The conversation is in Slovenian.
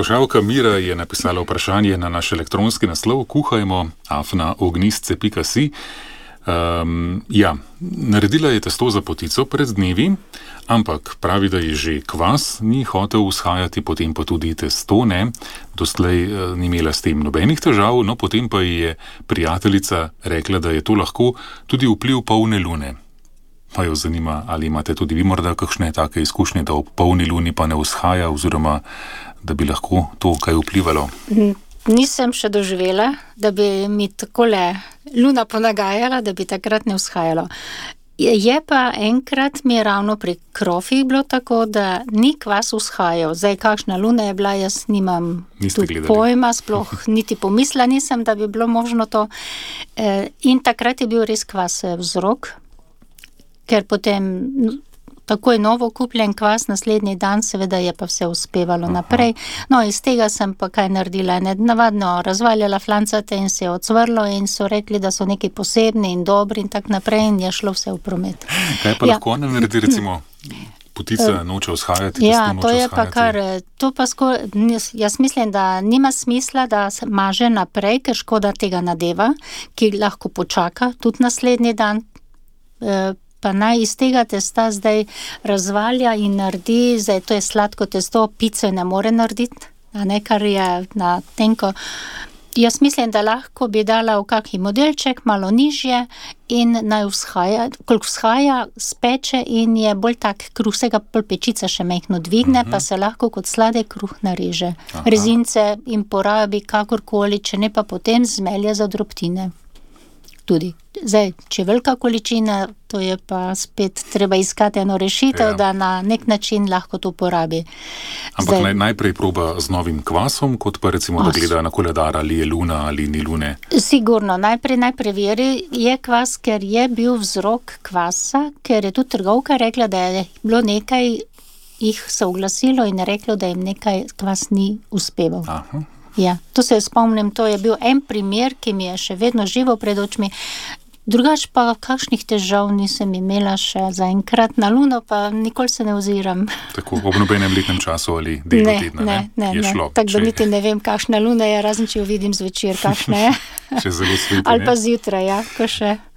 Poslušalka Mira je napisala vprašanje na naš elektronski naslov kuhajmo@ognistce.si. Naredila je testo za potico pred dnevi, ampak pravi, da je že kvas ni hotel vzhajati, potem pa tudi testo ne. Doslej ni imela s tem nobenih težav, no potem pa je prijateljica rekla, da je to lahko tudi vpliv polne lune. Pa jo zanima, ali imate tudi vi morda kakšne take izkušnje, da ob polni luni pa ne vzhaja, oziroma da bi lahko to kaj vplivalo? Nisem še doživela, da bi mi takole luna ponagajala, da bi takrat ne vzhajalo. Je pa enkrat mi je ravno pri krofih bilo tako, da ni kvas vzhajal. Zdaj, kakšna luna je bila, jaz nimam tudi pojma, sploh niti pomisla nisem, da bi bilo možno to. In takrat je bil res kvas vzrok, ker potem takoj novo kupljen kvas, naslednji dan seveda je pa vse uspevalo naprej. No, iz tega sem pa kaj naredila, navadno razvaljala flancate in se je odsvrlo in so rekli, da so neki posebni in dobri in tak naprej in je šlo vse v promet. Kaj pa lahko ona naredi, recimo, potica noče vzhajati, testo noče to je pa vzhajati? jaz mislim, da nima smisla, da se maže naprej, ker škoda tega nadeva, ki lahko počaka tudi naslednji dan, pa naj iz tega testa zdaj razvalja in naredi, zdaj to je sladko testo, pice ne more narediti, a ne, kar je na tenko. Jaz mislim, da lahko bi dala v kakšen modelček, malo nižje in naj vzhaja, koliko vzhaja, speče in je bolj tak kruh, vsega pol pečica še mehno dvigne, pa se lahko kot sladek kruh nareže. Rezince in porabi kakorkoli, če ne pa potem zmelje za drobtine. Tudi. Zdaj, če velika količina, to je pa spet treba iskati eno rešitev, da na nek način lahko to porabi. Ampak najprej proba z novim kvasom, kot pa recimo, da gleda na koledar, ali je luna ali ni lune. Sigurno, najprej preveri, je kvas, ker je bil vzrok kvasa, ker je tudi trgovka rekla, da je bilo nekaj, jih se oglasilo in reklo, da jim nekaj kvas ni uspeval. Ja, to se spomnim, to je bil en primer, ki mi je še vedno živo pred očmi. Drugač pa kakšnih težav nisem imela še zaenkrat, na luno pa nikoli se ne oziram. Tako, ob nobenem letnem času ali delu tedna, ne. Je šlo. Tako da niti ne vem, kakšna luna je, razen če jo vidim zvečer, kakšna je. Še zelo sveti, ali pa zjutraj, ja, ko še.